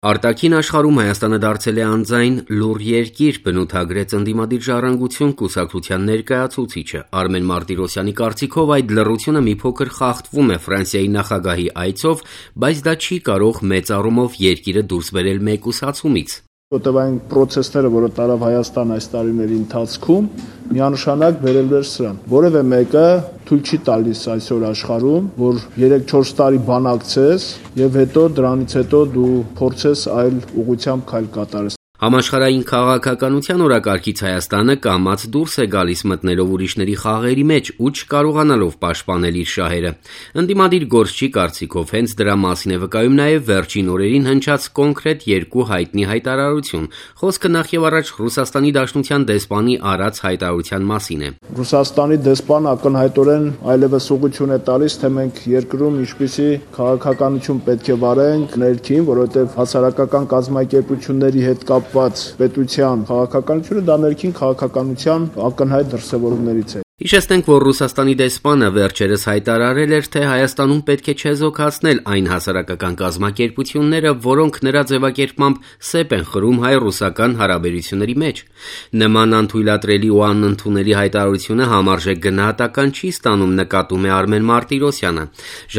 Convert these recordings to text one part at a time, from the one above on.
Արտաքին աշխարհում Հայաստանը դարձել է անձայն լուռ երկիր, բնութագրեց ընդդիմադիր ժառանգություն կուսակցության ներկայացուցիչը։ Արմեն Մարտիրոսյանի կարծիքով այդ լռությունը մի փոքր խախտվում է Ֆրանսիայի նախագահի այցով, բայց դա չի կարող մեծ առումով երկիրը դուրս բերել մեկուսացումից։ Որտեղ այն process-ները, որը տարավ Հայաստան այս տարիների ընթացքում, միանշանակ բերել էր սրան։ Որևէ մեկը թույլ չի տալիս այսօր աշխարհում, որ 3-4 տարի բանակցես եւ հետո դրանից հետո դու փորձես այլ ուղղությամբ քայլ կատարես։ Համաշխարհային քաղաքականության օրակարգից Հայաստանը կամաց դուրս է գալիս մտնելով ուրիշների խաղերի մեջ ու չկարողանալով պաշտպանել իր շահերը։ Ընդդիմադիր գործչի կարծիքով հենց դրա մասին է վկայում նաև վերջին օրերին հնչած կոնկրետ երկու հայտնի հայտարարություն։ Խոսքը նախ եւ առաջ Ռուսաստանի Դաշնության դեսպանի արած հայտարարության մասին է։ Ռուսաստանի դեսպանը ակնհայտորեն այլևս ուղղություն է տալիս, թե մենք երկրում ինչպիսի քաղաքականություն պետք է վարենք ներքին, որովհետեւ հասարակական կազմակերպությունների հետ պետության քաղաքականությունը դա ներքին քաղաքականության ակնհայտ դրսևորումներից է։ Հիշեցնենք, որ Ռուսաստանի դեսպանը վերջերս հայտարարել էր, թե Հայաստանում պետք է չեզոքացնել այն հասարակական կազմակերպությունները, որոնք նրա ձևակերպմամբ սեպ են խրում հայ-ռուսական հարաբերությունների մեջ։ Նման անթույլատրելի ու անընդունելի հայտարարությունը համարժեք գնահատական չի ստանում, նկատում է Արմեն Մարտիրոսյանը։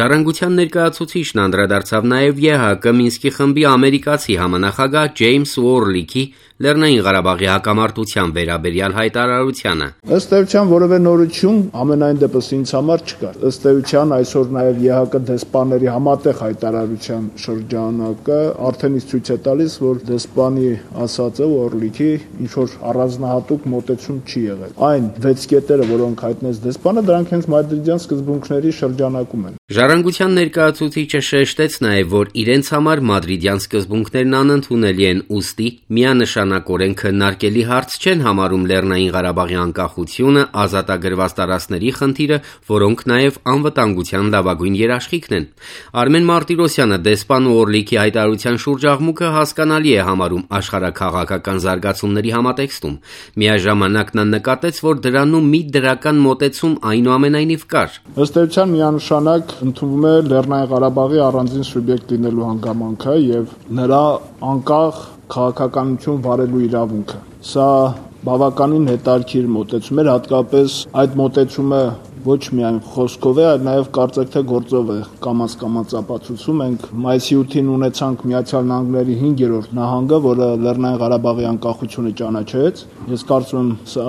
Ժառանգության ներկայացուցիչն անդրադարձավ նաև ԵՀԿ Մինսկի խմբի ամերիկացի համանախագահ Ջեյմս Ուորլիքի Լեռնային Ղարաբաղի հակամարտության վերաբերյալ հայտարարությանը։ Ըստ էության որևէ նորություն ամենայն դեպս ինձ համար չկար։ Ըստ էության այսօր նաև ԵՀԿ դեսպանների համատեղ հայտարարության շրջանակը արդեն իսկ ցույց է տալիս, որ դեսպանի ասածը Ուորլիքի ինչ որ առանձնահատուկ մոտեցում չի եղել։ Այն 6 կետերը, որոնք հայտնեց դեսպանը, դրանք հենց մադրիդյան սկզբունքների շրջանակում են։ Ժառանգության ներկայացուցիչը շեշտեց նաև, որ իրենց համար մադրիդյան սկզբունքներն անընդունելի են, ուստի միանշանակորեն քննարկելի հարց չեն համարում Լեռնային Ղարաբաղի անկախությունը, ազատագրված տարածքների խնդիրը, որոնք նաև անվտանգության լավագույն երաշխիքն են։ Արմեն Մարտիրոսյանը դեսպան Ուորլիքի հայտարարության շուրջ աղմուկը հասկանալի է համարում աշխարհաքաղաքական զարգացումների համատեքստում։ Միաժամանակ նա նկատեց, որ դրանում մի դրական մոտեցում այնուամենայնիվ կար։ Ըստ էության միանշանակ ընդունվում է Լեռնային Ղարաբաղի առանձին սուբյեկտ լինելու հանգամանքը եւ նրա անկախ քաղաքականություն վարելու իրավունքը։ Սա բավականին հետաքրքիր մոտեցում էր, հատկապես այդ մոտեցումը ոչ միայն խոսքով է, այլ նաև կարծեք թե գործով է կամաց ապացուցում։ Մենք մայիսի 8-ին ունեցանք Միացյալ Նահանգների 5-րդ նահանգը, որը Լեռնային Ղարաբաղի անկախությունը ճանաչեց։ Ես կարծում եմ սա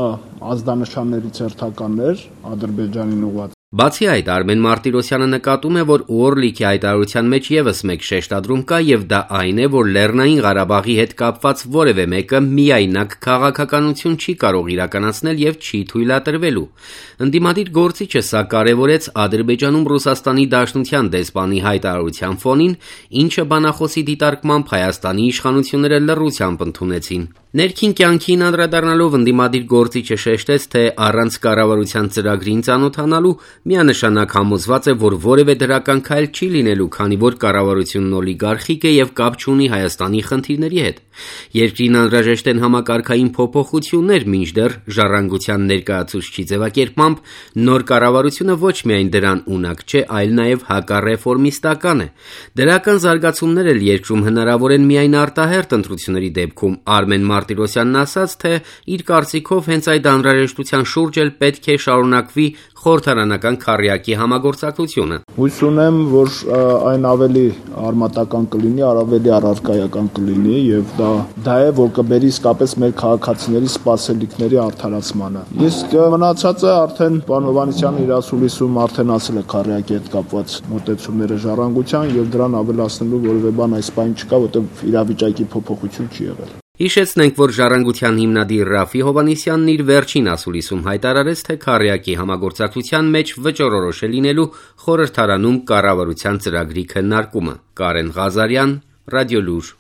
ազդանշաններից հերթականն էր Ադրբեջանին ուղղված։ Բացի այդ, Արմեն Մարտիրոսյանը նկատում է, որ Ուորլիքի հայտարարության մեջ եւս մեկ շեշտադրում կա եւ դա այն է, որ Լեռնային Ղարաբաղի հետ կապված որևէ մեկը միայնակ քաղաքականություն չի կարող իրականացնել եւ չի թույլատրվելու։ Ընդդիմադիր գործիչը սա կարեւորեց Ադրբեջանում Ռուսաստանի Դաշնության դեսպանի հայտարարության ֆոնին, ինչը բանախոսի դիտարկմամբ Հայաստանի իշխանությունները լռությամբ ընդունեցին։ Ներքին կյանքին անդրադառնալով ընդդիմադիր գործիչը շեշտեց, թե առանց կառավարության ծրագրին ծանոթանալու միանշանակ համոզված է, որ որևէ դրական քայլ չի լինելու, քանի որ կառավարությունն օլիգարխիկ է եւ կապ չունի Հայաստանի խնդիրների հետ։ Երկրին անհրաժեշտ են համակարգային փոփոխություններ, մինչդեռ ժառանգության ներկայացուցչի ձևակերպմամբ նոր կառավարությունը ոչ միայն դրան ունակ չէ, այլ նաեւ հակառեֆորմիստական է։ Դրական զարգացումներ էլ երկրում հնարավոր են միայն արտահերթ ընտրությունների դեպքում։ Արմեն Մարտիրոսյանն ասաց, թե իր կարծիքով հենց այդ անհրաժեշտության շուրջ էլ պետք է շարունակվի խորհրդարանական քառյակի համագործակցությունը։ Հույս ունեմ, որ այն ավելի արմատական կլինի, ավելի առարկայական կլինի եւ դա է, որ կբերի իսկապես մեր քաղաքացիների սպասելիքների արդարացմանը։ Իսկ մնացածը արդեն պարոն Հովհաննիսյանը իր ասուլիսում արդեն ասել է քառյակի հետ կապված մոտեցումները ժառանգության եւ դրան ավելացնելու որևէ բան այս բան չկա, որտեղ իրավիճակի փոփոխություն չի եղել։ Հիշեցնենք, որ ժառանգության հիմնադիր Ռաֆի Հովհաննիսյանն իր վերջին ասուլիսում հայտարարեց, թե քառյակի համագործակցության մեջ վճռորոշ է լինելու խորհրդարանում կառավարության ծրագրի քննարկումը։ Կարեն Ղազարյան, Ռադիոլուր։